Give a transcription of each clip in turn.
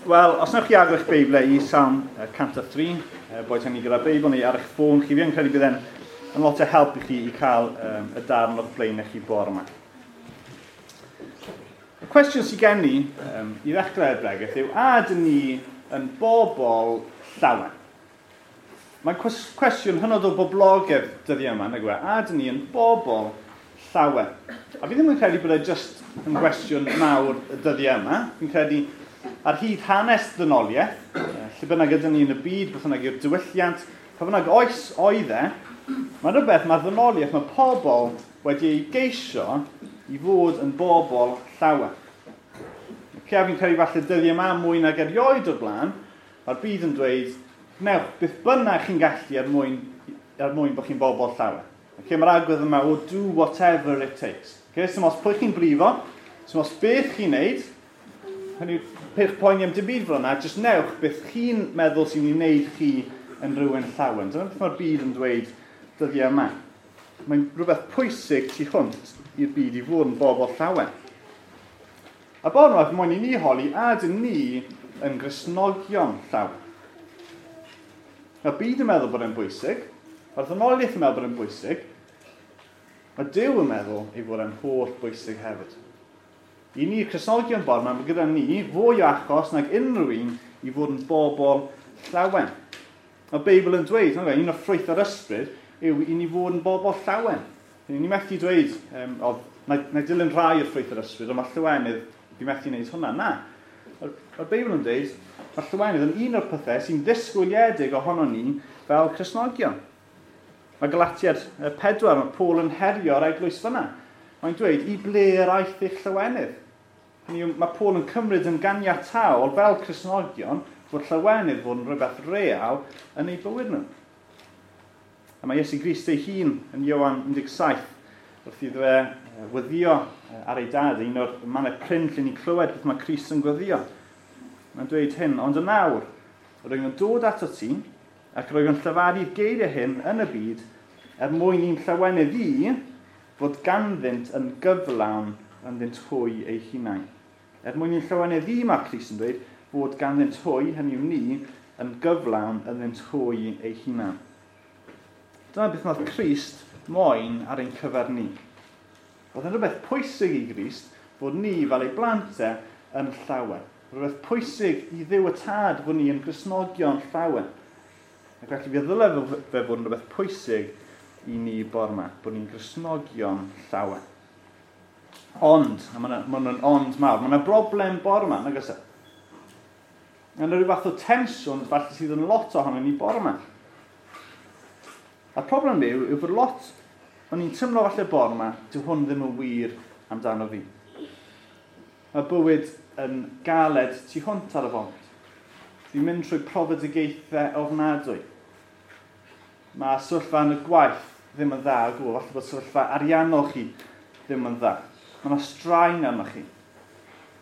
Wel, os wnewch chi agor eich Beiblau i Salm 103, boed hynny gyda Beibl neu ar eich ffôn chi, fi yn credu bydd e'n yn lot o help i chi i cael y darn o'ch blaen chi bore yma. Y cwestiwn sydd gen i i ddechrau'r bregeth yw, a ydyn ni yn bobl llawen? Mae'n cwestiwn hynod o boblogaidd dyddiau yma, nag yw e? A ydyn ni yn bobl llawen? A fi ddim yn credu bod e jyst yn gwestiwn mawr y dyddiau yma. Fi'n credu ar hyd hanes dynoliaeth, lle bynnag ydyn ni yn y byd, beth bynnag yw'r diwylliant, pa bynnag oes oedd e, mae rhywbeth, mae'r ddynoliaeth, mae pobl wedi ei geisio i fod yn bobl llawen. Okay, a fi'n credu falle dyddiau yma mwy nag erioed o'r blaen, mae'r byd yn dweud, newch, beth bynnag chi'n gallu er mwyn bod chi'n bobl llawen. Okay, mae'r agwedd yma o "do whatever it takes". Okay, so os pwy chi'n brifo, so os beth chi'n neud, hynny peidiwch poeni am dim byd fel yna, jyst newch beth chi'n meddwl sy'n ei wneud chi yn rhywun llawen. Dyna beth mae'r byd yn dweud dyddiau yma. Mae'n rhywbeth pwysig tu hwnt i'r byd i fod yn bobl llawen. A bore yma, moyn i ni holi, a ydyn ni yn Gristnogion llawen? Mae'r byd yn meddwl bod e'n bwysig, mae'r ddynoliaeth yn meddwl bod e'n bwysig, mae Duw yn meddwl ei fod e'n holl bwysig hefyd. I ni, Cristnogion bore yma, mae gyda ni fwy o achos nag unrhyw un i fod yn bobl llawen. Mae'r Beibl yn dweud, un o ffrwyth yr ysbryd yw i ni fod yn bobl llawen. Ni methu dweud, na i dilyn rhai o'r ffrwyth yr ysbryd, ond mae llawenydd, fi methu wneud hwnna. Na. Mae'r Beibl yn dweud, mae llawenydd yn un o'r pethau sy'n ddisgwyliedig ohono ni fel Cristnogion. Mae Galatiaid 4, mae Paul yn herio'r eglwys fyna. Mae'n dweud, "I ble yr aeth eich llawenydd?" Hynny yw, mae Paul yn cymryd yn ganiataol fel Cristnogion fod llawenydd fod yn rhywbeth real yn eu bywyd nhw. A mae Iesu Grist ei hun yn Ioan 17 wrth iddo fe weddio ar ei dad, un o'r mannau prin lle ni'n clywed beth mae Crist yn gweddio. Mae'n dweud hyn, "Ond yn awr, rwyf yn dod ato ti, ac rwyf yn llefaru'r geiriau hyn yn y byd, er mwyn i'n llawenydd i fod ganddynt yn gyflawn ynddynt hwy eu hunain." Er mwyn i'n llawenydd i, mae Crist yn dweud, fod ganddynt hwy, hynny yw ni, yn gyflawn ynddynt hwy eu hunain. Dyna beth nath Crist moyn ar ein cyfer ni. Oedd yn rhywbeth pwysig i Grist fod ni fel ei blant e yn llawen. Rhywbeth pwysig i Dduw y Tad fod ni yn Gristnogion llawen. Ac felly fe ddyle fe fod yn rhywbeth pwysig i ni bore yma, bod ni'n Gristnogion llawen. Ond, a mae'n ma ond mawr, mae yna broblem bore yma, nag oes e? Mae yna rhyw fath o tensiwn falle sydd yn lot ohono ni bore yma. A'r problem yw bod lot o'n i'n teimlo falle bore yma, dyw hwn ddim yn wir amdano fi. Mae bywyd yn galed tu hwnt ar y foment. Fi'n mynd trwy profedigaethau ofnadwy. Mae sefyllfa yn y gwaith ddim yn dda o gwbl. Falle bod sefyllfa ariannol chi ddim yn dda. Mae yna straen arnoch chi.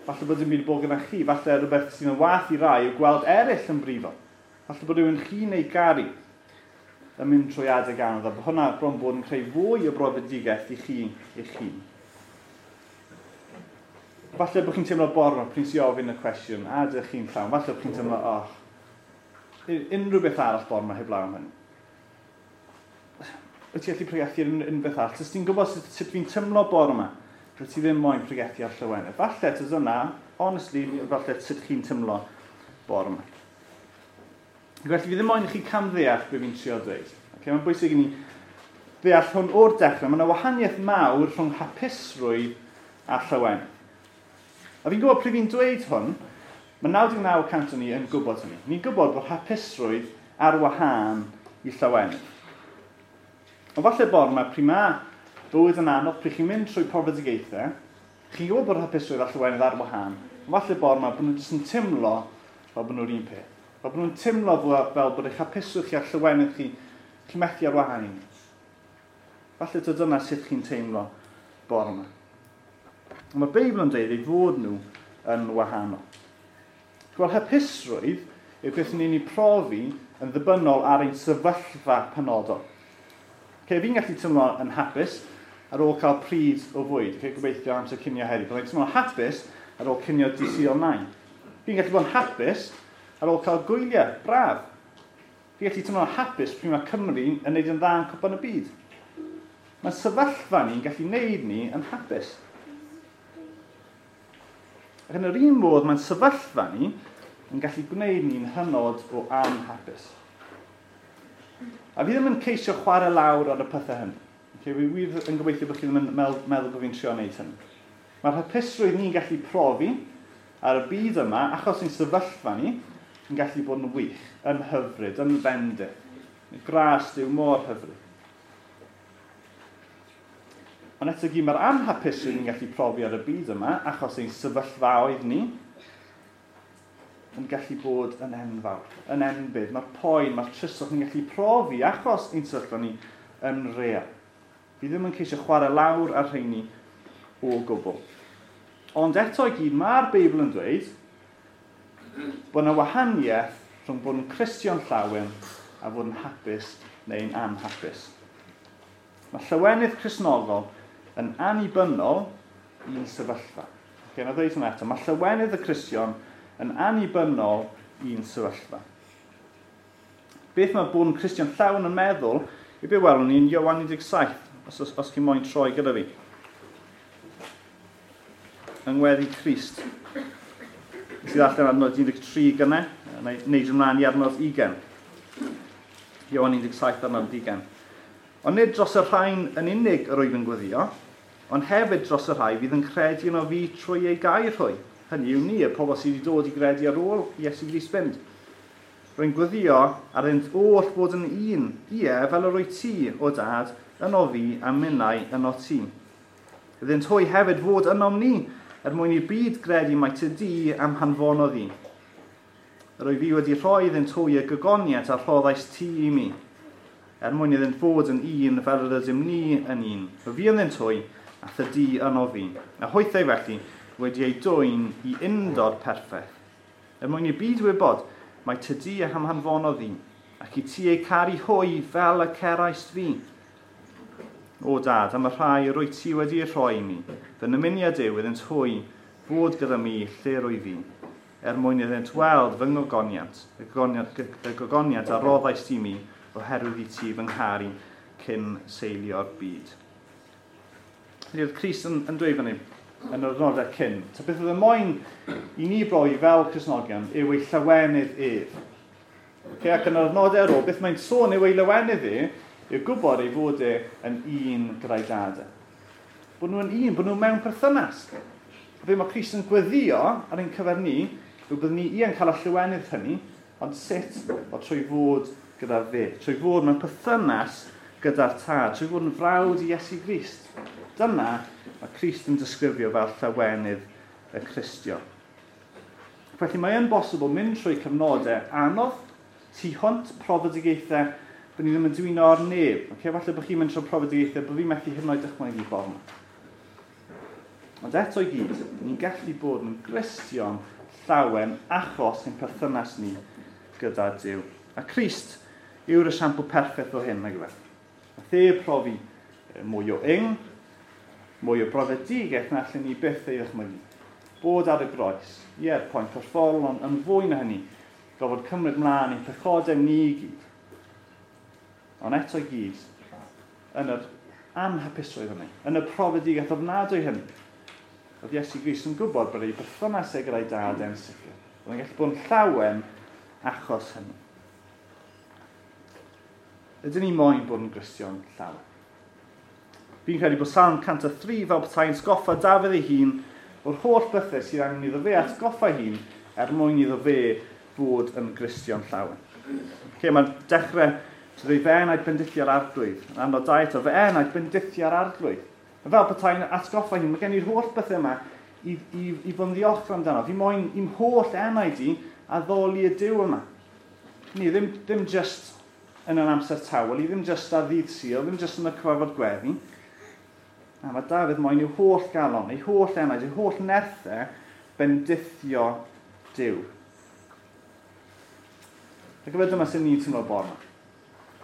Falle bod dim byd bod gyda chi. Falle rhywbeth sydd yn wath i rai yw gweld eraill yn brifo. Falle bod rhywun chi'n ei garu yn mynd trwy adeg anodd, a bod hwnna bron bod yn creu fwy o brofedigaeth i chi eich hun. Falle bod chi'n teimlo bore pryd sy'n ofyn y cwestiwn, a ydych chi'n llawn? Falle bod chi'n teimlo, "Oh, unrhyw beth arall bore yma heblaw am hynny. Wyt ti'n gallu pregethu ar unrhyw beth arall? Os ti'n gwybod sut fi'n teimlo bore yma, rwyt ti ddim moyn pregethu ar llawenydd." Falle, tyd yna, honestly, falle sut chi'n teimlo bore yma. Felly fi ddim moyn i chi camddeall beth fi'n trio dweud. Okay, mae'n bwysig i ni ddeall hwn o'r dechrau. Mae yna wahaniaeth mawr rhwng hapusrwydd a llawenydd. A fi'n gwybod pryd fi'n dweud hwn, mae 99% o ni yn gwybod hynny. Ni'n gwybod bod hapusrwydd ar wahân i llawenydd. Ond falle bore yma, pryd mae bywyd yn anodd, pryd chi'n mynd trwy profedigaethau, chi'n gwybod bod hapusrwydd a llawenydd ar wahân, ond falle bore yma bod nhw jyst yn teimlo fel bod nhw'r un peth. Fel bod nhw'n teimlo fel bod eich hapusrwydd chi a'r llawenydd chi, chi'n methu ar wahân i ni. Falle dod dyna sut chi'n teimlo bore yma. Ond mae'r Beibl yn dweud ei fod nhw yn wahanol. Wel, hapusrwydd yw beth ni'n ei profi yn ddibynnol ar ein sefyllfa penodol. Okay, fi'n gallu teimlo yn hapus ar ôl cael pryd o fwyd. Okay, gobeithio amser cinio heddi. Byddai'n teimlo hapus ar ôl cinio dydd Sul nain. Fi'n gallu bod yn hapus ar ôl cael gwyliau, braf. Fi'n gallu teimlo'n hapus pryd mae Cymru yn neud yn dda yn Cwpan y Byd. Mae sefyllfa ni'n gallu neud ni yn hapus. Ac yn yr un modd, mae'n sefyllfa ni yn gallu gwneud ni'n hynod o anhapus. A fi ddim yn ceisio chwarae lawr ar y pethau hynny. Okay, fi wir yn gobeithio bod chi ddim yn meddwl bod fi'n trio wneud hynny. Mae'r hapusrwydd ni'n gallu profi ar y byd yma, achos ein sefyllfa ni, yn gallu bod yn wych, yn hyfryd, yn fendith. Gras Duw mor hyfryd. Ond eto gyd, mae'r anhapusrwydd ni'n gallu profi ar y byd yma, achos ein sefyllfaoedd ni, yn gallu bod yn enfawr, yn enbyd. Mae'r poen, mae'r tristwch ni'n gallu profi achos ein sefyllfa ni yn real. Fi ddim yn ceisio chwarae lawr ar rheini o gwbl. Ond eto i gyd, mae'r Beibl yn dweud bod yna wahaniaeth rhwng bod yn Cristion llawen a fod yn hapus neu'n anhapus. Mae llawenydd Cristnogol yn annibynnol i'n sefyllfa. Okay, na ddweud hwnna eto. Mae llawenydd y Cristion yn annibynnol i'n sefyllfa. Beth mae bod yn Cristion llawn yn meddwl i be welwn ni'n Ioan 17, os chi'n moyn troi gyda fi. Yng ngweddi Crist. Nes i ddarllen adnod 13 gynnau, neud ymlaen i adnod 20. Ioan 17 adnod 20. Ond nid dros y rhain yn unig yr wyf yn gweddio, ond hefyd dros y rhai fydd yn credu yno fi trwy ei gair hwy. Hynny yw ni, y pobl sydd wedi dod i gredu ar ôl Iesu Grist fynd. Rwy'n gweddio ar iddynt oll fod yn un, ie, fel yr wyt ti, o dad, yno fi a minnau yno ti. Iddynt hwy hefyd fod ynom ni, er mwyn i'r byd gredu mai ty di am hanfonodd i. Yr wyf fi wedi rhoi iddynt hwy y gogoniant a rhoddais ti i mi, er mwyn iddynt fod yn un fel yr ydym ni yn un. Y fi ynddynt hwy, a thydi yno fi. A hwythau felly wedi ei dwyn i undod perffaith. Er mwyn i'r byd wybod, mae tydi a hamhanfonodd i, ac i ti eu caru hwy fel y ceraist fi. O dad, am y rhai yr wyt ti wedi eu rhoi i mi, fy nymuniad yw iddynt hwy fod gyda mi lle rwy fi, er mwyn iddynt weld fy ngogoniant, y gogoniant a roddais i mi oherwydd i ti fy ngharu cyn seilio'r byd. Felly oedd Crist yn dweud fan hyn, yn yr adnodau cyn. So beth oedd y moyn i ni brofi fel Cristnogion yw ei llawenydd ef. Okay, ac yn yr adnodau ar ôl, beth mae'n sôn yw ei lawenydd e, yw gwybod ei fod e yn un gyda'i dad. Bod nhw'n un, bod nhw mewn perthynas. Fe mae Crist yn gweddio ar ein cyfer ni, yw byddwn ni yn cael y llawenydd hynny, ond sut? O trwy fod gyda fe, trwy fod mewn perthynas gyda'r tad, trwy fod yn frawd i Iesu Grist. Dyna mae Crist yn disgrifio fel llawenydd y Cristion. Felly mae yn bosibl mynd trwy cyfnodau anodd, tu hwnt profedigaethau bod ni ddim yn dwyno ar neb. Okay? Falle bod chi'n mynd trwy profedigaethau bod fi'n methu hyd yn oed dychmygu ffordd yma. Ond eto i gyd, ni'n gallu bod yn Gristion llawen achos ein perthynas ni gyda Duw. A Crist yw'r esiampl perffaith o hyn, nag yw e? Nath e profi mwy o ing, mwy o brofedigaeth na allan ni byth ei ddychmygu. Bod ar y groes, ie'r poen corfforol, ond yn fwy na hynny, gofod cymryd mlaen ein pechodau ni i gyd. Ond eto i gyd, yn yr anhapusrwydd hynny, yn y profedigaeth ofnadwy hynny, oedd Iesu Grist yn gwybod bod ei berthynas e gyda'i dad e'n sicr. Oedd e'n gallu bod yn llawen achos hynny. Ydyn ni moyn bod yn Gristion llawen? Fi'n credu bod Salm 103 fel petai'n sgoffa Dafydd ei hun o'r holl bethau sydd angen iddo fe atgoffa hun er mwyn iddo fe fod yn Gristion llawen. Okay, mae'n dechrau trwy fe enaid bendithio'r arglwydd. Yn adnod 2 eto, fe enaid bendithio'r arglwydd. Fel petai'n atgoffa hun, mae gen i'r holl bethau yma i fod yn ddiolchgar amdano. Fi moyn i'm holl enaid i addoli y Duw yma. Ni ddim just yn yr amser tawel, i ddim just ar ddydd Sul, ddim just yn y cyfarfod gweddi. A mae Dafydd moyn i'w holl galon, ei holl enaid, ei holl nerthau bendithio Duw. Ac efo dyma sy'n ni'n teimlo bore yma.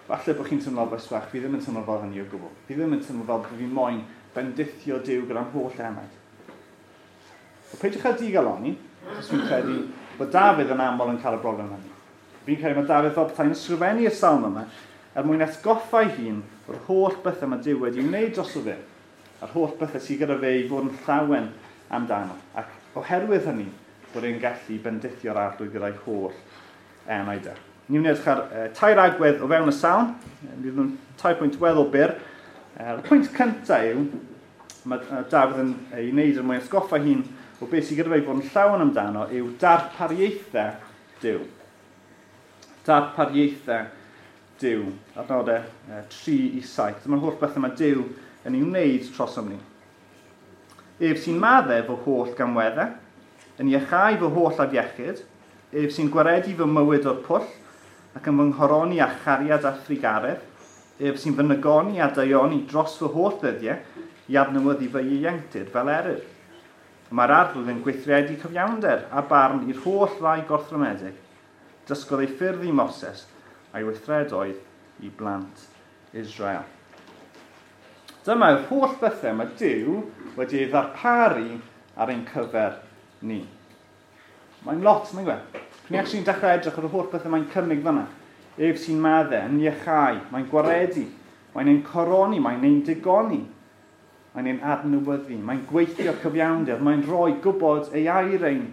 Falle bod chi'n teimlo fel bach, fi ddim yn teimlo fel hynny o gwbl. Fi ddim yn teimlo fel bod fi moyn bendithio Duw gyda'n holl enaid. Wel, peidiwch â digalonni, achos fi'n credu Bod Dafydd yn aml yn cael y broblem hynny. Fi'n credu mae Dafydd fel petai'n ysgrifennu'r salm yma er mwyn atgoffa ei hun o'r holl bethau mae Duw wedi wneud drosto fe, a'r holl bethau sydd gyda fe i fod yn llawen amdano, ac oherwydd hynny, bod e'n gallu bendithio'r Arglwydd gyda'i holl enaid e. Ni'n mynd i edrych ar tair agwedd o fewn y salm. Bydd nhw'n tair pwynt weddol byr. Y pwynt cyntaf yw, mae Dafydd yn ei wneud er mwyn atgoffa hun o beth sydd gyda fe i fod yn llawen amdano yw darpariaethau Duw. Darpariaethau Duw. Adnodau 3 i 7. Dyma'r holl bethau mae Duw yn ei wneud trosom ni. Ef sy'n maddau fy holl gamweddau, yn iachau fy holl afiechyd, ef sy'n gwaredu fy mywyd o'r pwll, ac yn fy nghoroni â chariad a thrugaredd, ef sy'n fy nygoni a daioni dros fy holl ddyddiau i adnewyddu fy ieuenctid fel eryr. Mae'r Arglwydd yn gweithredu cyfiawnder a barn i'r holl rai gorthrymedig. Dysgodd ei ffyrdd i Moses a'i weithredoedd i blant Israel. Dyma yw'r holl bethau mae Duw wedi ei ddarparu ar ein cyfer ni. Mae'n lot, mae'n gwe. Ni actually'n dechrau edrych ar y holl bethau mae'n cynnig fyna. Ef sy'n maddau, yn iachau, mae'n gwaredu, mae'n ein coroni, mae'n ein digoni, mae'n ein adnewyddu, mae'n gweithio cyfiawnder, mae'n rhoi gwybod ei air ein.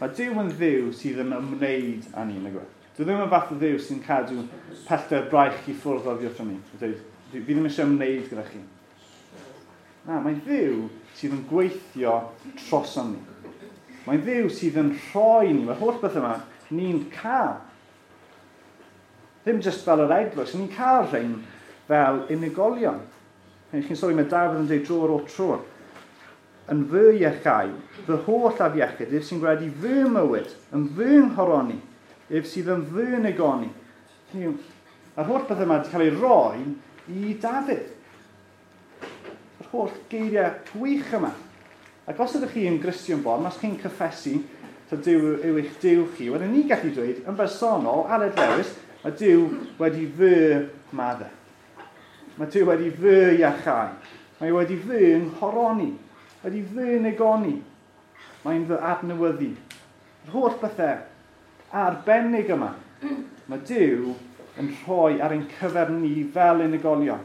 Mae Duw yn Dduw sydd yn ymwneud â ni, nag yw e? Dyw ddim yn fath o Dduw sy'n cadw pellter braich i ffwrdd oddi wrthon ni. Dweud, fi ddim eisiau ymwneud gyda chi. Na, mae'n Dduw sydd yn gweithio trosom ni. Mae'n Dduw sydd yn rhoi ni. Mae'r holl beth yma ni'n cael. Ddim jyst fel yr eglwys, ni'n cael rhain fel unigolion. Chi'n sori, mae Dafydd yn dweud dro ar ôl tro. Yn fy iachau, fy holl afiechyd, ef sy'n gwaredu fy mywyd, yn fy nghoroni, ef sydd yn fy negoni. A'r holl beth yma wedi cael ei roi i Dafydd. Yr holl geiriau gwych yma. Ac os ydych chi yn Gristion born, os chi'n cyffesu ta Duw yw eich Duw chi, wedyn ni'n gallu dweud yn bersonol, Aled Lewis, mae Duw wedi fy maddau. Mae Duw wedi fy iachau. Mae wedi fy nghoroni. Wedi fy negoni. Mae'n fy adnewyddu. Yr holl bethau arbennig yma, mae Duw yn rhoi ar ein cyfer ni fel unigolion.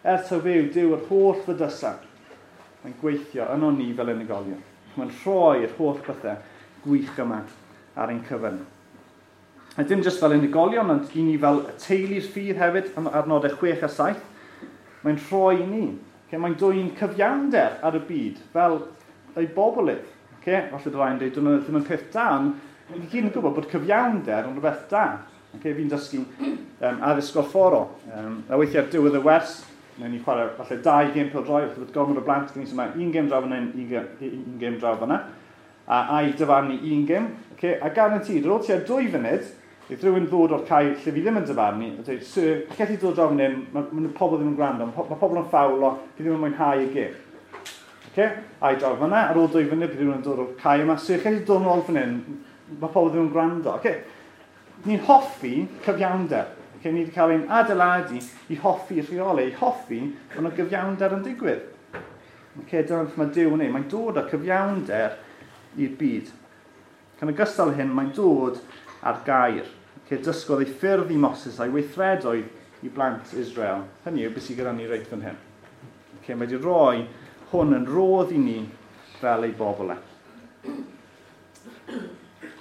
Er taw fe yw Duw yr holl fydysau, mae'n gweithio yno ni fel unigolion. Mae'n rhoi'r holl bethau gwych yma ar ein cyfer ni. A dim jyst fel unigolion, ond i ni fel teulu'r ffydd hefyd, adnodau 6 a 7, mae'n rhoi i ni. Okay, mae'n dwyn cyfiawnder ar y byd fel ei bobl ef. Okay? Falle byddai'n dweud, dyna ddim yn peth da, ond ni gyd yn gwybod bod cyfiawnder yn rhywbeth da. Okay? Fi'n dysgu addysg gorfforol. A weithiau ar diwedd y wers, wnawn ni chwarae falle 2 gêm pêl-droed, falle bod gormod o blant gen i, so mae un gêm draw fan'na, un gêm draw fan'na, a a'i dyfarnu un gêm. Okay? A guaranteed, ar ôl tua 2 funud, bydd rhywun ddod o'r cae lle fi ddim yn dyfarnu, a dweud, sir, chi dod draw fan hyn, mae pobl ddim yn gwrando, mae pobl yn ffawlo, fi ddim yn mwynhau y gêm. Okay? A i draw fan'na, ar ôl 2 funud, bydd rhywun yn dod o'r cae yma, sir, chi dod nôl fan hyn, mae pobl ddim yn gwrando. Okay? Ni'n hoffi cyfiawnder. Okay? Ni wedi cael ein adeiladu i hoffi rheolau, i hoffi bod yna gyfiawnder yn digwydd. Okay, dyna beth mae Duw yn ei. Mae'n dod â cyfiawnder i'r byd. Ac yn ogystal hyn, mae'n dod ar gair. Okay, dysgodd ei ffyrdd i Moses a'i weithredoedd i blant Israel. Hynny yw beth sydd gyda ni reit fan hyn. Okay, mae wedi rhoi hwn yn rodd i ni fel ei bobl e.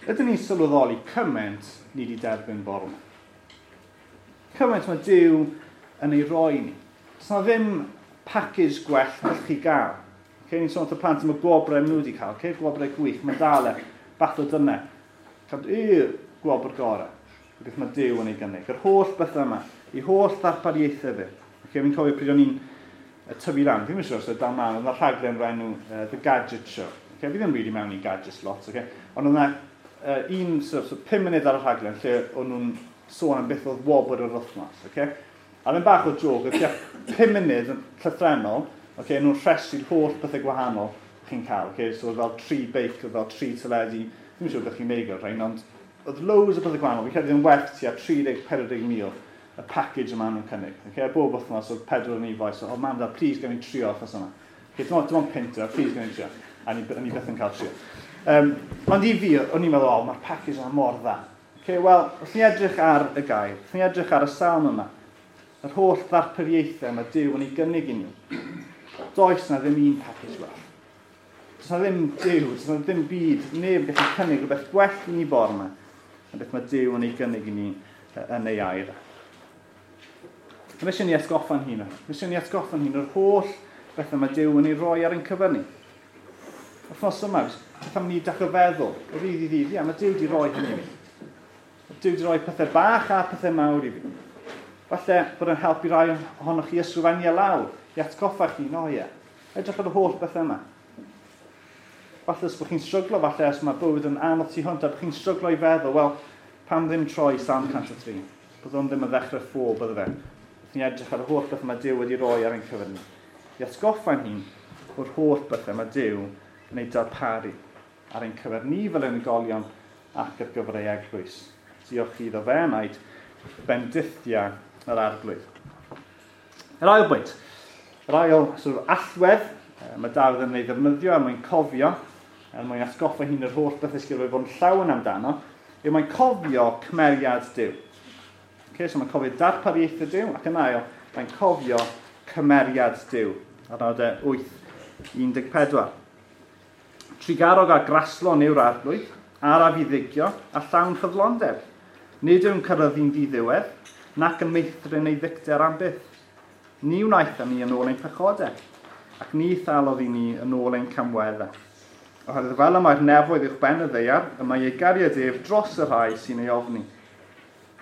Ydyn ni'n sylweddoli cymaint ni wedi derbyn bore yma? Cymaint mae Duw yn ei roi ni. Does na ddim package gwell gallwch chi gael. Okay, ni'n sôn wrth y plant am y gwobrau maen nhw wedi cael. Okay, gwobrau gwych, medalau, bath o dynau. Cael y gwobr gorau. Beth mae Duw yn ei gynnig. Yr holl bethau yma, ei holl ddarpariaethau fe. Okay, fi'n cofio pryd o'n i'n tyfu lan, fi'n siŵr os oedd dal mlaen, oedd yna rhaglen o'r enw The Gadget Show. Okay, fi ddim really mewn i gadgets lot, okay? Ond oedd yna un, sort of, 5 munud ar y rhaglen lle o'n nhw'n sôn am beth oedd wobr yr wythnos. Okay? A ddim bach o joke, oedd tua 5 munud yn llythrennol, okay, nhw'n rhestru'r holl bethau gwahanol chi'n cael. Okay? So oedd fel 3 beic, oedd fel 3 teledu, ddim siŵr beth chi'n neud o'r rhain, ond oedd loads o bethau gwahanol. Fi'n credu yn werth tua 30-40 mil y package yma nhw'n cynnig. Okay? A bob wythnos oedd 4 yn ei so, oh mam, dad, please gael ni'n trio wythnos yma. Okay, dim ond pinter, please gael ni'n trio. A ni, ni byth yn cael trio. Ond i fi, o'n i'n meddwl, o, mae'r package yma mor dda. Okay, wel, wrth ni edrych ar y gair, wrth ni edrych ar y salm yma, yr holl ddarpariaethau mae Duw yn ei gynnig i ni, does na ddim un package well. Does na ddim Duw, does na ddim byd, neb yn gallu cynnig rhywbeth gwell i ni bore yma, na beth mae Duw yn ei gynnig i ni yn ei air. Mae eisiau ni atgoffa'n hun. Mae eisiau ni atgoffa'n hun o'r holl bethau mae Duw yn ei roi ar ein cyfer ni. Wythnos yma, beth am ni dechrau feddwl, o ddydd i ddydd, ia, mae Duw wedi roi hynny i fi. Mae Duw wedi rhoi pethau bach a pethau mawr i fi. Falle bod yn helpu rai ohonoch chi ysgrifennu e lawr, i atgoffa chi, no ie. Edrych ar y holl bethau yma. Falle os bod chi'n stryglo, falle os mae bywyd yn anodd tu hwnt, a bod chi'n stryglo i feddwl, wel, pam ddim troi Salm 103? Bydd o'n ddim yn ddechrau ffo, bydde fe. Wrth ni edrych ar y holl bethau mae Duw wedi rhoi ar ein cyfer ni. I atgoffa'n hun o'r holl bethau mae Duw yn ei darparu ar ein cyfer ni fel unigolion ac ar gyfer ei eglwys. Diolch iddo fe enaid, bendithia yr Arglwydd. Yr ail bwynt, yr ail sort of, allwedd mae Dafydd yn ei ddefnyddio er mwyn cofio, er mwyn atgoffa hun yr holl bethau sydd wedi fod yn llawen amdano, yw mae'n cofio cymeriad Duw. Okay, so mae'n cofio darpariaethau Duw, ac yn ail, mae'n cofio cymeriad Duw. Adnodau 8:14. Trugarog a graslon yw'r Arglwydd, araf i ddigio a llawn ffyddlondeb. Nid yw'n cyrraeddu'n ddiddiwedd, nac yn meithrin ei ddicter am byth. Ni wnaeth ni yn ôl ein pechodau, ac ni thalodd i ni yn ôl ein camweddau. Oherwydd fel y mae'r nefoedd uwch ben y ddaear, y mae ei gariad ef dros y rhai sy'n ei ofni.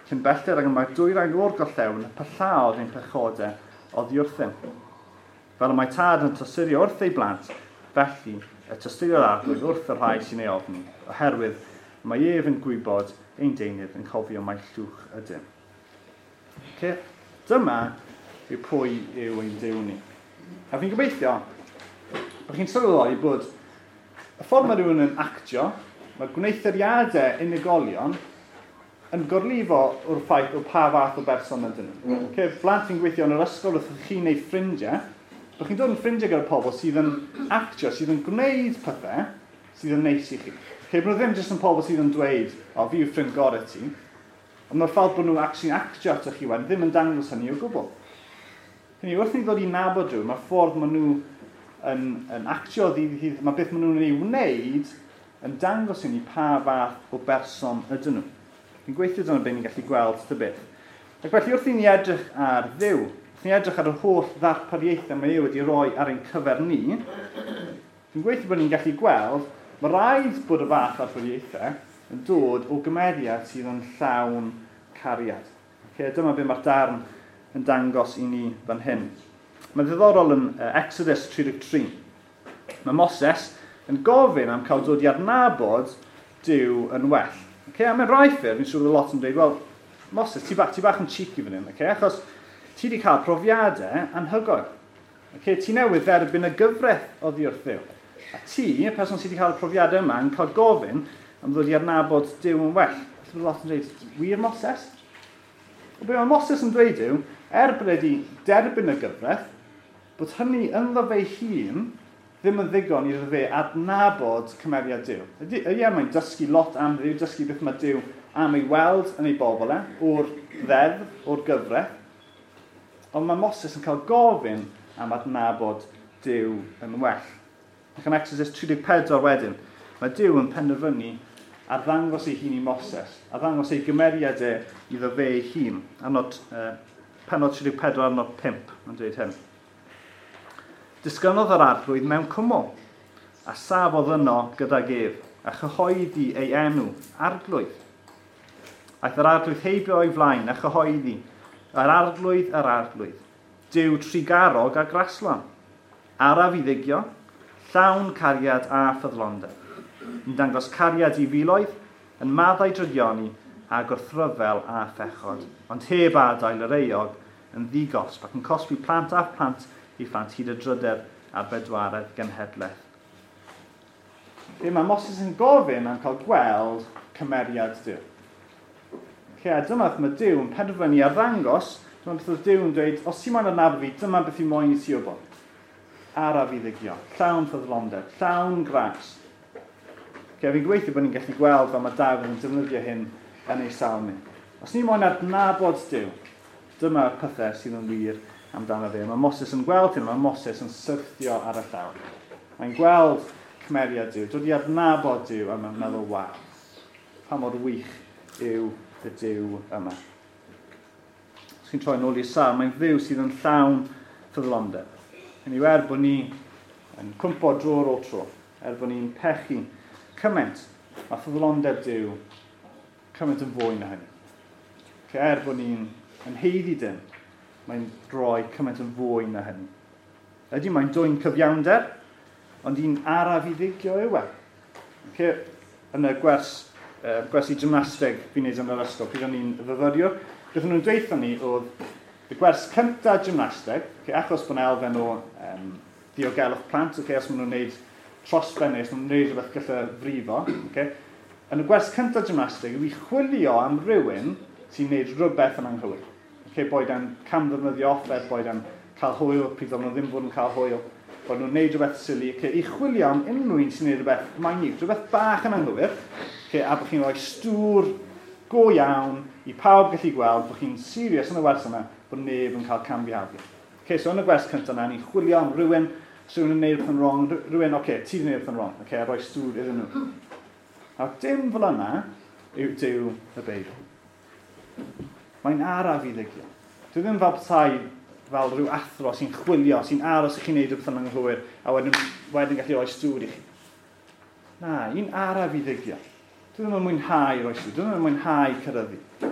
Cyn belled ag y mae'r dwyrain o'r gorllewin, pyllaodd ein pechodau oddi wrthym. Fel y mae tad yn tosturio wrth ei blant, felly y tosturio'r Arglwydd wrth y rhai sy'n ei ofni, oherwydd mae ef yn gwybod ein deunydd yn cofio mai llwch ydym. Okay? Dyma yw pwy yw ein Duw ni. A fi'n gobeithio bod chi'n sylweddoli bod y ffordd mae rhywun yn actio, mae gwneuthuriadau unigolion yn gorlifo o'r ffaith o pa fath o berson ydyn nhw. Okay, blant fi'n gweithio yn yr ysgol wrth chi neu ffrindiau, bod chi'n dod yn ffrindiau gyda pobl sydd yn actio, sydd yn gwneud pethau sydd yn neis i chi. Okay, bod nhw ddim jyst yn pobl sydd yn dweud, o, fi yw ffrind gorau ti, ond mae'r ffordd bod nhw actually actio ato chi wedyn ddim yn dangos hynny o gwbl. Hynny, wrth ni ddod i nabod rhywun, mae'r ffordd maen nhw yn actio ddydd i ddydd, mae beth maen nhw'n ei wneud yn dangos i ni pa fath o berson ydyn nhw. Fi'n gweithio dyna beth ni'n gallu gweld ta beth. Ac felly wrth i ni edrych ar Dduw, wrth i ni edrych ar yr holl ddarpariaethau mae e wedi rhoi ar ein cyfer ni, fi'n gweithio bod ni'n gallu gweld, mae rhaid bod y fath ddarpariaethau yn dod o gymeriad sydd yn llawn cariad. Okay, dyma beth mae'r darn yn dangos i ni fan hyn. Mae'n ddiddorol yn Exodus 33. Mae Moses yn gofyn am cael dod i adnabod Duw yn well. Okay, a mewn rai ffyrdd, fi'n siŵr bod lot yn dweud, wel, Moses, ti bach, ti bach yn cheeky fan hyn, okay? Achos ti wedi cael profiadau anhygoel. Okay? Ti newydd dderbyn y gyfraith oddi wrth Dduw. A ti, y person sydd wedi cael y profiadau yma, yn cael gofyn am ddod i adnabod Duw yn well. Felly bod lot yn dweud, wir Moses? Wel, be mae Moses yn dweud yw, er bod wedi derbyn y gyfraith, bod hynny ynddo fe hun ddim yn ddigon iddo fe adnabod cymeriad Duw. Ie, mae'n dysgu lot am Dduw, dysgu beth mae Duw am ei weld yn ei bobl e, o'r ddeddf, o'r gyfraith. Ond mae Moses yn cael gofyn am adnabod Duw yn well. Ac yn Exodus 34 wedyn, mae Duw yn penderfynu arddangos ei hun i Moses, arddangos ei gymeriad e iddo fe ei hun. Adnod, pennod 34, adnod 5, mae'n dweud hyn. Disgynnodd yr Arglwydd mewn cwmwl, a safodd yno gydag ef, a chyhoeddi ei enw, Arglwydd. Aeth yr Arglwydd heibio o'i flaen a chyhoeddi, yr Arglwydd, yr Arglwydd, Duw trugarog a graslon, araf i ddigio, llawn cariad a ffyddlondeb, yn dangos cariad i filoedd, yn maddau drygioni a gwrthryfel a phechod, ond heb adael yr euog yn ddigosb ac yn cosbi plant a phlant i phlant hyd y drydedd a'r bedwaredd genhedlaeth. Be mae Moses yn gofyn am cael gweld cymeriad Duw. Okay, a dyma beth mae Duw yn penderfynu arddangos, dyma beth oedd Duw yn dweud, os ti moyn adnabod fi, dyma beth i moyn i ti wybod. Araf i ddigio, llawn ffyddlondeb, llawn gras. Okay, fi'n gobeithio bod ni'n gallu gweld fel mae Dafydd yn defnyddio hyn yn ei salm ni. Os ni moyn adnabod Duw, dyma'r pethau sydd yn wir amdano fe. Mae Moses yn gweld hyn, mae Moses yn syrthio ar y llawr. Mae'n gweld cymeriad Duw, dod i adnabod Duw, a mae'n meddwl, waw, pa mor wych yw y Duw yma. Os chi'n troi nôl i'r salm, mae'n Dduw sydd yn llawn ffyddlondeb. Hynny yw, er bod ni yn cwmpo dro ar ôl tro, er bod ni'n pechu cymaint, mae ffyddlondeb Duw cymaint yn fwy na hynny. Okay, er bod ni'n yn haeddu dim, mae'n rhoi cymaint yn fwy na hynny. Ydy, mae'n dwyn cyfiawnder, ond un araf i ddigio yw e. Okay, yn y gwers, gwersi gymnasteg fi'n neud yn yr ysgol, pryd o'n i'n fyfyriwr, beth o'n nhw'n dweud ni oedd y gwers cyntaf gymnasteg, okay, achos bod yna elfen o diogelwch plant, okay, os maen nhw'n gwneud trosben neu os maen nhw'n gwneud rhywbeth gallu frifo, okay, yn y gwers cyntaf gymnasteg yw i chwilio am rywun sy'n gwneud rhywbeth yn anghywir. Okay, boed e'n camddefnyddio offer, boed e'n cael hwyl, pryd o'n nhw ddim fod yn cael hwyl, bod nhw'n gwneud rhywbeth silly. Okay, i chwilio am unrhyw un sy'n gwneud rhywbeth minute, rhywbeth bach yn anghywir, okay, a bod chi'n rhoi stŵr go iawn i pawb gallu gweld bod chi'n serious yn y wers yma, bod neb yn cael camfihafio. Okay, so yn y gwers cyntaf yna, ni'n chwilio am rhywun, os rhywun yn gwneud rhywbeth yn wrong, rhywun, oce, okay, ti wedi gwneud rhywbeth yn wrong, okay, a rhoi stŵr iddyn nhw. A dim fel yna yw Duw y Beibl. Mae'n araf i ddigio. Dwi ddim fel petai fel rhyw athro sy'n chwilio, sy'n aros i chi wneud rhywbeth yn anghywir, a wedyn gallu rhoi stŵr i chi. Na, un araf i ddigio. Dwi ddim yn mwynhau rhoi stŵr, dwi ddim yn mwynhau cyryddu.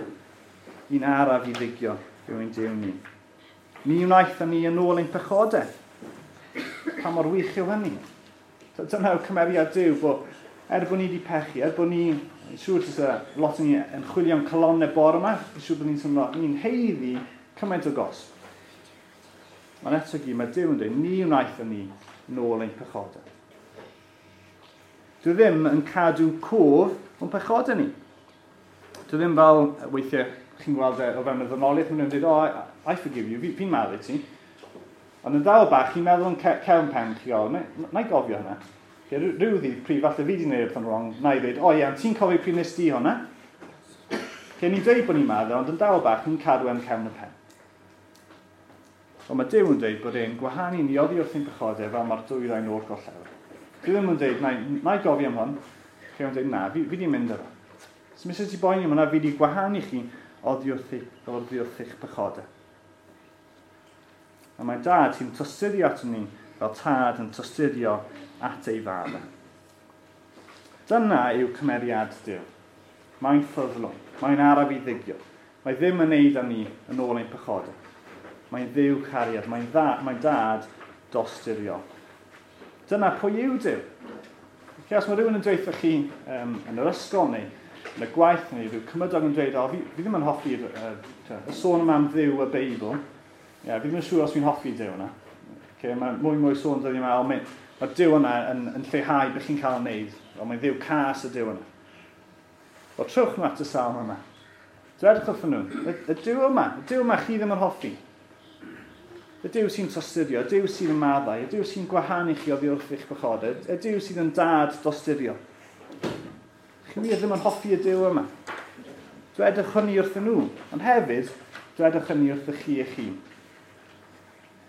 Un araf i ddigio yw ein Duw ni. Ni wnaethon ni yn ôl ein pechodau. Pa mor wych yw hynny? Dyna yw cymeriad Duw, bod er bod ni wedi pechu, er bod ni, siŵr fysa lot o ni yn chwilio am calonnau bore yma, fi'n siŵr bod ni'n teimlo, ni'n haeddu cymaint o gosb. Ond eto gyd, mae Duw yn dweud, ni wnaethon ni nôl ein pechodau. Dwi ddim yn cadw cof o'n pechodau ni. Dwi ddim fel, weithiau, chi'n gweld e o fewn y ddynoliaeth, maen nhw'n dweud, oh, I forgive you, fi'n maddau ti. Ond yn dal bach, chi'n meddwl yn cefn pen chi, o, na i gofio hwnna. Okay, rhyw ddydd pryd falle fi wedi gwneud rhywbeth yn wrong, na i ddweud, o ie, ti'n cofio pryd nes di hwnna? Okay, ni'n dweud bod ni'n maddau, ond yn dal bach, ni'n cadw e'n cefn y pen. Ond mae Duw yn dweud bod e'n gwahanu ni oddi wrth ein pechodau fel mae'r dwyrain o'r gorllewin. Dwi ddim yn dweud, na i gofio am hwn. Okay, mae'n dweud, na, fi wedi mynd efo. So mis ti boeni am hwnna, fi wedi gwahanu chi oddi wrth eich pechodau. A mae dad sy'n tosturio at ni fel tad yn tosturio at ei fab. Dyna yw cymeriad Duw. Mae'n ffyddlon, mae'n araf i ddigio. Mae ddim yn neud â ni yn ôl ein pechodau. Mae'n Dduw cariad, mae'n dad dosturiol. Dyna pwy yw Duw. Okay, os mae rhywun yn dweud chi yn yr ysgol neu yn y gwaith neu rhyw cymydog yn dweud, o, fi ddim yn hoffi'r y sôn yma am Dduw y Beibl. Yeah, fi ddim yn siŵr os fi'n hoffi Duw yna. Okay, mae mwy sôn dyddiau yma, o, mae Duw yna yn lleihau beth chi'n cael ei wneud. O, mae'n Dduw cas y Duw yna. Wel, trowch nhw at y salm yma. Dwedwch wrthyn nhw, y Duw yma, y Duw yma chi ddim yn hoffi. Y Duw sy'n tosturio, y Duw sy'n maddau, y Duw sy'n gwahanu chi oddi wrth eich pechodau, y Duw sydd yn dad dosturio. Chi wir ddim yn hoffi y Duw yma. Dwedwch hynny wrthyn nhw, ond hefyd, dwedwch hynny wrthych chi eich hun.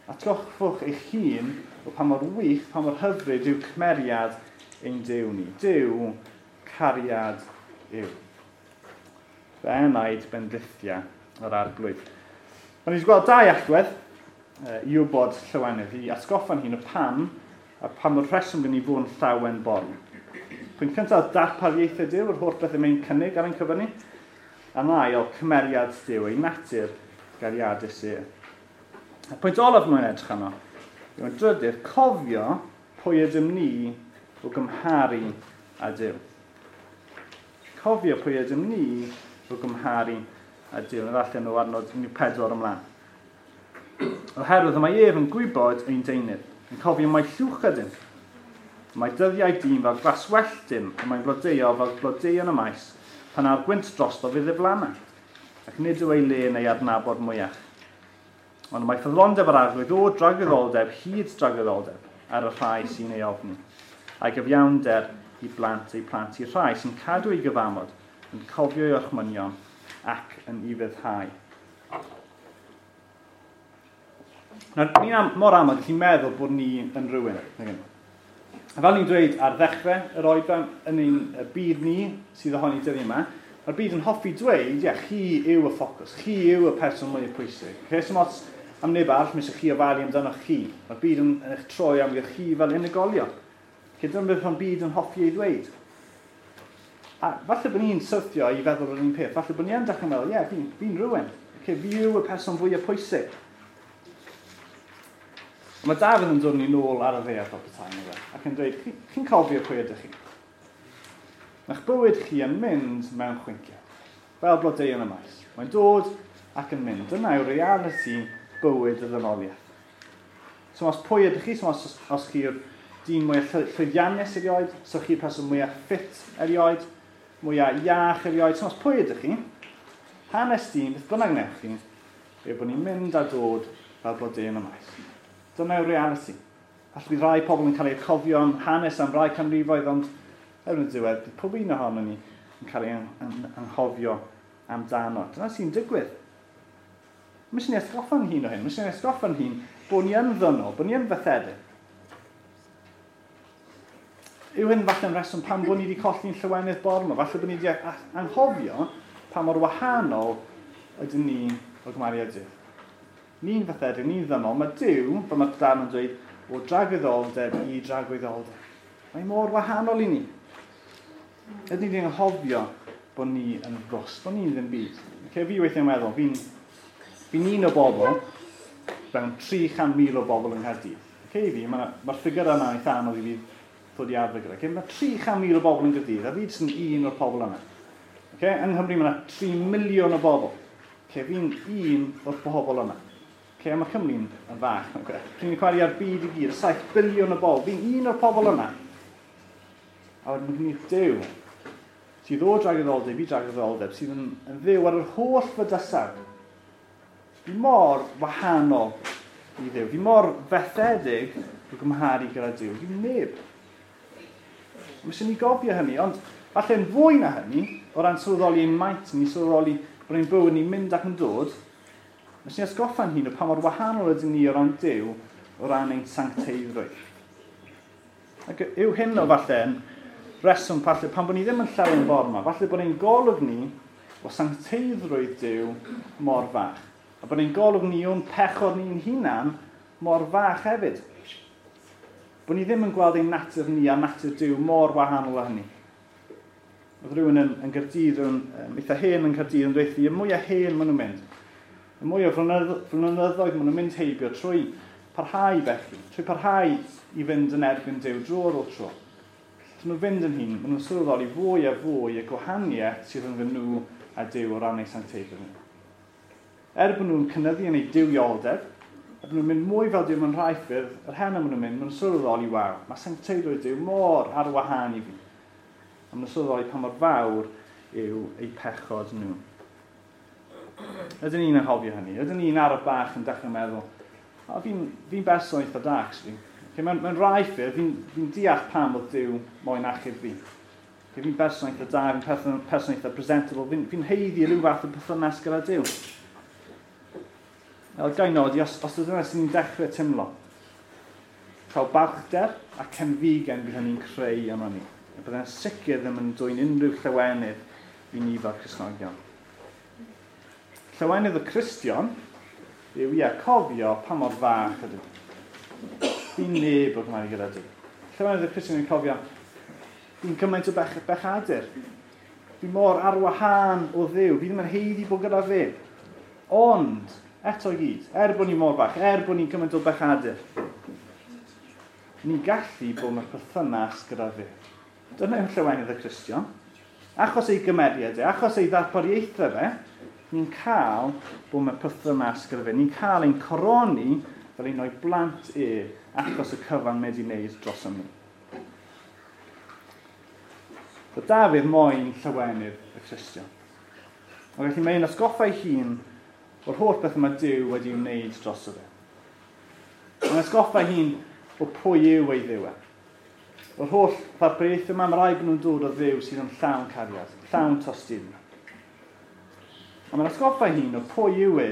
Atgoffwch eich hun o pa mor wych, pa mor hyfryd yw cymeriad ein Duw ni. Duw, cariad yw. Fy enaid bendithia yr Arglwydd. Ond ni wedi gweld dau allwedd i wybod llawenydd, i atgoffa'n hun o pam, a pam o'r rheswm gen i fod yn llawen bore. Pwynt cyntaf, darpariaethau Duw, yr holl beth y mae'n cynnig ar ein cyfer ni. A'n ail, cymeriad Duw, ei natur gariadus e. Y pwynt olaf mae'n edrych arno, yw'n drydydd, cofio pwy ydym ni o gymharu â Duw. Cofio pwy ydym ni o gymharu â Duw. Yn allan o adnod 14 ymlaen. Oherwydd mae ef yn gwybod ein deunydd, yn cofio mai llwch ydym. Mae dyddiau dyn fel glaswelltyn, a mae'n blodeuo fel blodeuon y maes, pan â'r gwynt drosto fydd ddiflanna, ac nid yw ei le neu adnabod mwyach. Ond mae ffyddlondeb yr Arglwydd o dragwyddoldeb hyd dragwyddoldeb ar y rhai sy'n ei ofni, a'i gyfiawnder i blant eu plant i'r rhai sy'n cadw ei gyfamod, yn cofio ei orchmynion ac yn ufuddhau. Nawr, ni'n mor aml gallu meddwl bod ni yn rhywun. A fel ni'n dweud ar ddechrau yr oedran yn ein byd ni sydd ohoni dyddiau yma, mae'r byd yn hoffi dweud, ie, chi yw y ffocws, chi yw y person mwyaf pwysig. Okay? So ots am neb arall, mae eisiau chi ofalu amdano chi. Mae'r byd yn eich troi am chi fel unigolion. Okay, dyna beth mae'r byd yn hoffi ei ddweud. A falle bod ni'n syrthio i feddwl yr un peth. Falle bod ni yn dechrau meddwl, ie, yeah, fi'n rhywun. Okay, fi yw y person fwyaf pwysig. Ond mae Dafydd yn dod ni nôl ar y ddaear fel petai, nag e? Ac yn dweud, chi'n cofio pwy ydych chi? Mae'ch bywyd chi yn mynd mewn chwinciau, fel blodeuyn y maes. Mae'n dod ac yn mynd. Dyna yw realiti bywyd y ddynoliaeth. So os pwy ydych chi, so os chi'r dyn mwyaf llwyddiannus erioed, so chi'r person mwyaf ffit erioed, mwyaf iach erioed, so os pwy ydych chi, hanes dyn, beth bynnag wnewch chi, yw bod ni'n mynd a dod fel blodeuyn y maes. Dyna yw'r realiti. Falle bydd rai pobl yn cael eu cofio am hanes am rai canrifoedd, ond erbyn y diwedd, bydd pob un ohono ni yn cael ei anghofio amdano. Dyna sy'n digwydd. Mae eisiau ni atgoffa'n hun o hyn. Mae eisiau ni atgoffa'n hun bod ni yn ddynol, bod ni yn fethedig. Yw hyn falle'n reswm pam bod ni wedi colli'n llywenydd bore yma? Falle bod ni wedi anghofio pa mor wahanol ydyn ni o gymharu â Duw. Ni'n fethedig, ni'n ddynol. Mae Duw, fel mae'r darn yn dweud, o dragwyddoldeb i dragwyddoldeb. Mae mor wahanol i ni. Ydyn ni wedi anghofio bod ni yn ddwst, bod ni'n ddim byd. Okay, fi weithiau'n meddwl, fi'n un o bobl, fewn 300,000 o bobl yng Nghaerdydd. Okay, fi, mae'r ffigur yna eitha anodd i fi ddod i arfer gyda. Okay, mae 300,000 o bobl yn Gaerdydd, a fi jyst yn un o'r pobl yna. Okay, yng Nghymru mae yna 3 miliwn o bobl. Okay, fi'n un o'r bobl yna. Okay, mae Cymru'n yn fach. Okay. Fi'n chwarae ar byd i gyd, 7 biliwn o bobl. Fi'n un o'r pobl yna. A wedyn mae gen i Duw, sydd o dragwyddoldeb i dragwyddoldeb, sydd yn Dduw ar yr holl fydysawd. Fi mor wahanol i Dduw. Fi mor fethedig o gymharu gyda Duw. Fi'n neb. Mae eisiau ni gofio hynny, ond falle'n fwy na hynny, o ran sylweddoli ein maint ni, sylweddoli bod ein bywyd ni'n mynd ac yn dod, mae eisiau ni atgoffa'n hun o pa mor wahanol ydyn ni o ran Duw, o ran ein sancteiddrwydd. Ac yw hyn o falle yn reswm falle pan bod ni ddim yn llawen bore yma, falle bod ein golwg ni o sancteiddrwydd Duw mor fach. A bod ein golwg ni o'n pechod ni'n hunan mor fach hefyd. Bod ni ddim yn gweld ein natur ni a natur Duw mor wahanol â hynny. Oedd rhywun yn Gaerdydd, rhywun eitha hen yn Caerdydd yn dweud, y mwyaf hen maen nhw'n mynd, y mwy o flynyddoedd maen nhw'n mynd heibio trwy parhau felly, trwy parhau i fynd yn erbyn Duw dro ar ôl tro. Trwy nhw fynd yn hyn, maen nhw'n sylweddoli fwy a fwy y gwahaniaeth sydd rhwng nhw a Duw o ran eu sancteiddrwydd nhw. Er bod nhw'n cynyddu yn eu duwioldeb, er bod nhw'n mynd mwy fel Duw mewn rhai ffyrdd, yr hen maen nhw'n mynd, maen nhw'n sylweddoli, waw, mae sancteiddrwydd Duw mor ar wahân i fi. A maen nhw'n sylweddoli pa mor fawr yw eu pechod nhw. Ydyn ni'n anghofio hynny? Ydyn ni'n araf bach yn dechrau meddwl, o, fi'n berson eitha da, actually. Okay, mewn rhai ffyrdd, fi'n deall pam oedd Duw moyn achub fi. Okay, fi'n berson eitha da, fi'n person eitha presentable, fi'n haeddu rhyw fath o perthynas gyda Duw. Wel, ga i nodi, os ydyna sy'n ni'n dechrau teimlo, cael balchder a cenfigen bydd hynny'n creu yma ni. A bydd e'n sicr ddim yn dwyn unrhyw llawenydd i ni fel Cristnogion. Llawenydd y Cristion yw ie, cofio pa mor fach ydw. Fi'n neb o gymharu gyda Duw. Llawenydd y Cristion yn cofio, fi'n cymaint o bechadur. Fi mor ar wahân o Dduw, fi ddim yn haeddu bod gyda fe. Ond, eto i gyd, er bod ni mor fach, er bod ni'n cymaint o bechadur, ni'n gallu bod mewn perthynas gyda fe. Dyna yw llawenydd y Cristion. Achos ei gymeriad e, achos ei ddarpariaethau fe, ni'n cael bod mewn perthynas gyda fe. Ni'n cael ein coroni fel un o'i blant e, achos y cyfan mae wedi wneud dros ni. So Dafydd moyn llawenydd y Cristion. Ac felly mae'n atgoffa ei hun O'r holl beth yma Duw wedi wneud dros fe. Mae'n atgoffa hun o pwy yw ei Dduw e. O'r holl ddarpariaethau yma, mae rhaid bod nhw'n dod o Dduw sydd yn llawn cariad, llawn tosturi. A mae'n atgoffa hun o pwy yw e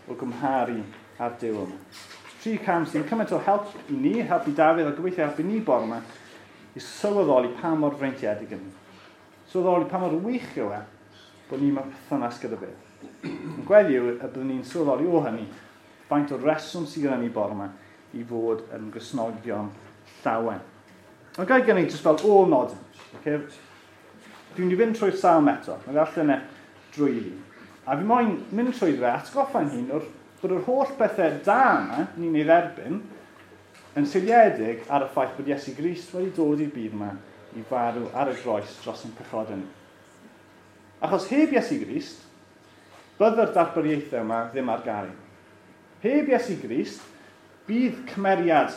o gymharu â'r Duw yma. 3 cam sy'n cymaint o help i ni, help i Dafydd a gobeithio help i ni bore yma, i sylweddoli pa mor freintiedig yn ni. Sylweddoli pa mor wych yw e bod ni mewn perthynas gyda fe. Yn gweddi yw y byddwn ni'n sylweddoli o hynny faint o reswm sydd gyda ni bore yma i fod yn Gristnogion llawen. Ond ga i gynnig jyst fel ôl nodyn. Okay? Dwi'n mynd i fynd trwy'r salm eto. Mae ddarllen e drwy fi. A fi moyn mynd trwy fe atgoffa'n hun o'r bod yr holl bethau da yma ni'n ei dderbyn yn seiliedig ar y ffaith bod Iesu Grist wedi dod i'r byd yma i farw ar y groes dros ein pechodau ni. Achos heb Iesu Grist, bydde'r darpariaethau yma ddim ar gael. Heb Iesu Grist, bydd cymeriad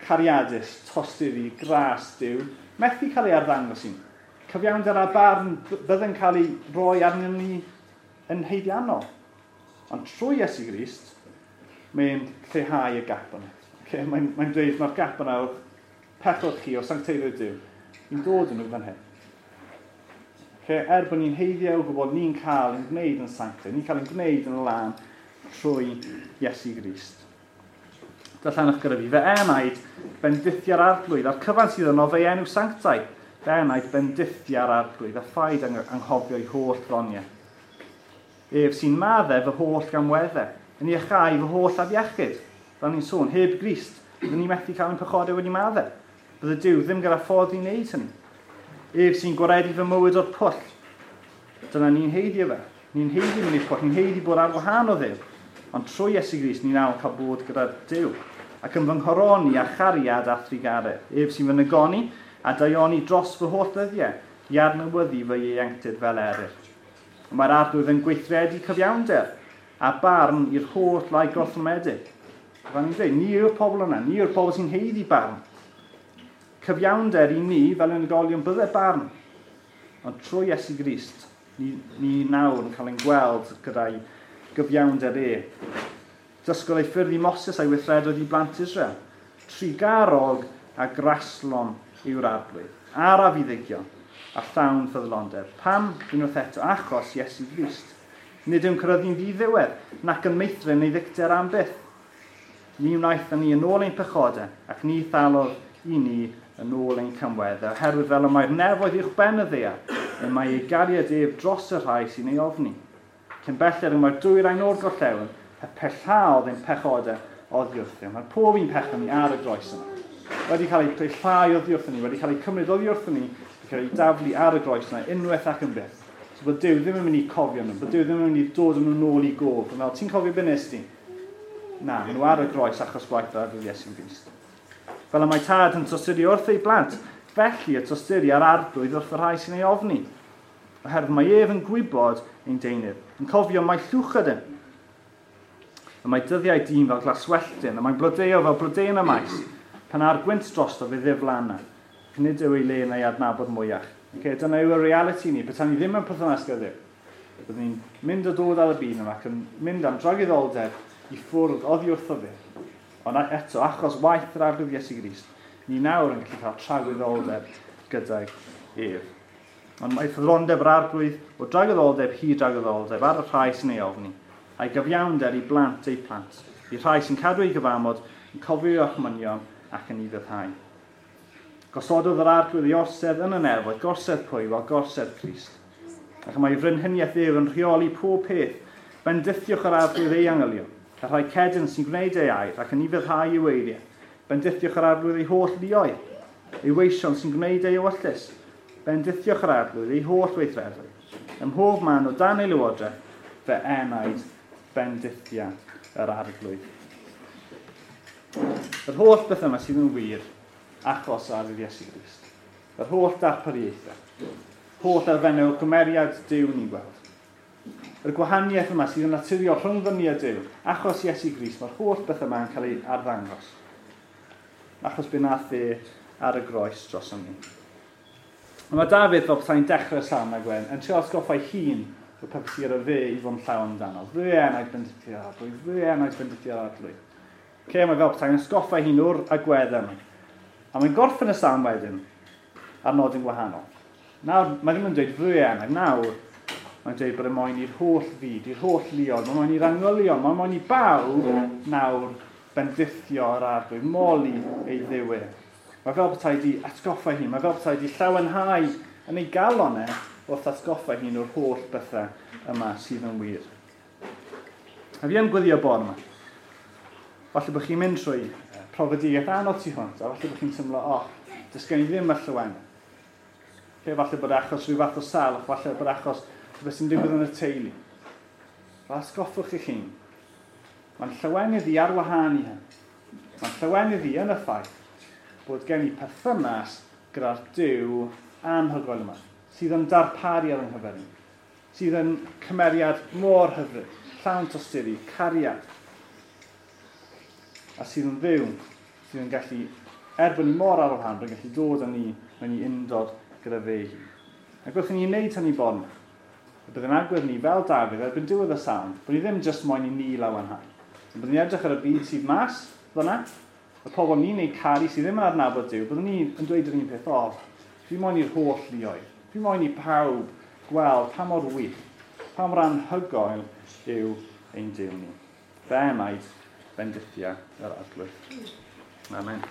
cariadus, tosturi, gras Duw, methu cael ei arddangos i ni. Cyfiawnder a barn bydde'n cael ei roi arnyn ni yn haeddiannol. Ond trwy Iesu Grist, mae'n lleihau y gap yna. Okay? Mae'n dweud mae'r gap yna o'r pechod chi, o sancteiddrwydd Duw, ni'n dod yn nhw fan hyn. Okay? Er bod ni'n haeddu o gwybod ni'n cael ein gwneud yn sanctaidd, ni'n cael ein gwneud yn lân trwy Iesu Grist. Darllenwch gyda fi, fy enaid bendithia'r Arglwydd, a'r cyfan sydd yno fe'i enw sanctaidd. Fy enaid bendithia'r Arglwydd, a phaid anghofio ei holl ddoniau. Ef sy'n maddau fy holl gamweddau, yn iachau fy holl afiechyd. Fel ni'n sôn, heb Grist, byddwn ni methu cael ein pechodau wedi maddau. Bydde Duw ddim gyda ffordd i wneud hynny. Ef sy'n gwaredu fy mywyd o'r pwll. Dyna ni'n haeddu fe. Ni'n haeddu mynd i'r pwll, ni'n haeddu bod ar wahân o Dduw. Ond trwy Iesu Grist, ni'n nawr cael bod gyda Duw. Ac yn fy nghoroni a chariad a thrugaredd. Ef sy'n fy nygoni a daioni dros fy holl ddyddiau, i adnewyddu fy ieuenctid fel eryr. Mae'r Arglwydd yn gweithredu cyfiawnder a barn i'r holl rai gorthrymedig. Fel ni'n dweud, ni yw'r pobl yna, ni yw'r pobl sy'n haeddu barn. Cyfiawnder i ni fel unigolion bydde barn. Ond trwy Iesu Grist, ni nawr yn cael ein gweld gyda'i gyfiawnder e. Dysgodd ei ffyrdd i Moses a'i weithredoedd i blant Israel. Trugarog a graslon yw'r Arglwydd. Araf i ddigio a llawn ffyddlondeb. Pam? Unwaith eto, achos Iesu Grist. Nid yw'n cyrraeddu'n ddiddiwedd, nac yn meithrin neu ddicter am byth. Ni wnaeth ni yn ôl ein pechodau, ac ni thalodd i ni yn ôl ein camweddau, oherwydd fel y mae'r nefoedd uwch ben y ddaear, y mae ei gariad ef dros y rhai sy'n ei ofni. Cyn belled y mae'r dwyrain o'r gorllewin, y pellhaodd ein pechodau oddi wrthym. Mae pob un pechod ni ar y groes yma. Wedi cael ei pellhau oddi wrthym ni, wedi cael ei cymryd oddi wrthym ni, wedi cael ei daflu ar y groes yna, unwaith ac yn byth. So bod Duw ddim yn mynd i cofio nhw, bod Duw ddim yn mynd i dod nhw nôl i gof. Fel, ti'n cofio be nes di? Na, maen nhw ar y groes achos gwaith yr Arglwydd Iesu Grist. Fel y mae tad yn tosturi wrth ei blant, felly y tosturi ar Arglwydd wrth y rhai sy'n ei ofni. Oherwydd mae ef yn gwybod ein deunydd, yn cofio mai llwch ydym. Y mae dyddiau dyn fel glaswelltyn, y mae'n blodeuo fel blodeuyn y maes, pan ar gwynt drosto fe ddiflanna, ac nid yw ei le na'i adnabod mwyach. Okay, dyna yw'r reality ni, petai ni ddim yn perthynas gyda Dduw. Byddwn ni'n mynd a dod ar y byd yma ac yn mynd am dragwyddoldeb i ffwrdd oddi wrtho fe. Ond eto, achos waith yr Arglwydd Iesu Grist, ni nawr yn gallu cael tragwyddoldeb gydag ef. Ond mae ffyddlondeb yr Arglwydd o dragwyddoldeb hyd dragwyddoldeb ar y rhai sy'n ei ofni, a'i gyfiawnder i blant eu plant, i rhai sy'n cadw ei gyfamod, yn cofio ei orchmynion ac yn ufuddhau. Gosododd yr Arglwydd ei orsedd yn y nefoedd, gorsedd pwy? Wel, gorsedd Crist. Ac mae ei frenhiniaeth ef yn rheoli pob peth. Bendithiwch yr Arglwydd ei angylion, y rhai cedyrn sy'n gwneud ei air ac yn ufuddhau ei eiriau. Bendithiwch yr Arglwydd ei holl luoedd, ei weision sy'n gwneud ei ewyllys. Bendithiwch yr Arglwydd ei holl weithredoedd. Ym mhob man o dan ei lywodraeth, fy enaid bendithia yr Arglwydd. Yr holl beth yma sydd yn wir achos ar Iesu Grist. Yr holl darpariaethau, holl elfennau o gymeriad Duw ni'n gweld. Yr gwahaniaeth yma sydd yn naturiol rhwng ni a Duw, achos Iesu Grist, mae'r holl beth yma yn cael ei arddangos. Achos be nath e ar y groes dros ni. Mae Dafydd, fel petai'n dechrau'r salm a Gwen, yn trio atgoffa ei hun y pethau sydd ar fe i fod yn llawn amdano. Fy enaid bendithio'r arglwydd, fy enaid bendithio'r arglwydd. Okay, mae fel petai'n atgoffa hun o'r agweddau yma. A mae'n gorffen y salm wedyn ar nodyn gwahanol. Nawr, mae ddim yn dweud fy enaid, nawr mae'n dweud bod e moyn i'r holl fyd, i'r holl luoedd, mae'n moyn i'r angylion, mae'n moyn i bawb nawr bendithio yr arglwydd, moli ei Dduw e. Mae fel petai di atgoffa hun, mae fel petai di llawenhau yn ei galon e wrth atgoffa hun o'r holl bethau yma sydd yn wir. A fi yn gweddio bore yma. Falle bod chi'n mynd trwy profedigaeth anodd tu hwnt, a falle bod chi'n teimlo, o, oh, does gen i ddim y llawenydd. Okay, falle bod achos rhyw fath o salwch, falle bod achos rhywbeth sy'n digwydd yn y teulu. Fel atgoffwch eich hun. Mae'n llawenydd i ar wahân i hyn. Mae'n llawenydd i yn y ffaith bod gen i perthynas gyda'r Duw anhygoel yma, sydd yn darparu ar yng nghyfer ni, sydd yn cymeriad mor hyfryd, llawn tosturi, cariad, a sydd yn fyw, sydd yn gallu, er bod ni mor ar wahân, bod yn gallu dod â ni mewn i undod gyda fe hun. Ac wrth i ni wneud hynny bore yma, y bydd yn agwedd ni fel Dafydd erbyn diwedd y salm, bod ni ddim jyst moyn i ni lawenhau. Ond byddwn ni edrych ar y byd sydd mas fyna, y pobl ni'n ei caru sydd ddim yn adnabod Duw, byddwn ni yn dweud yr un peth, o, fi moyn i'r holl luoedd, fi moyn i pawb gweld pa mor wych, pa mor anhygoel yw ein Duw ni. Fy enaid, bendithia yr arglwydd. Amen.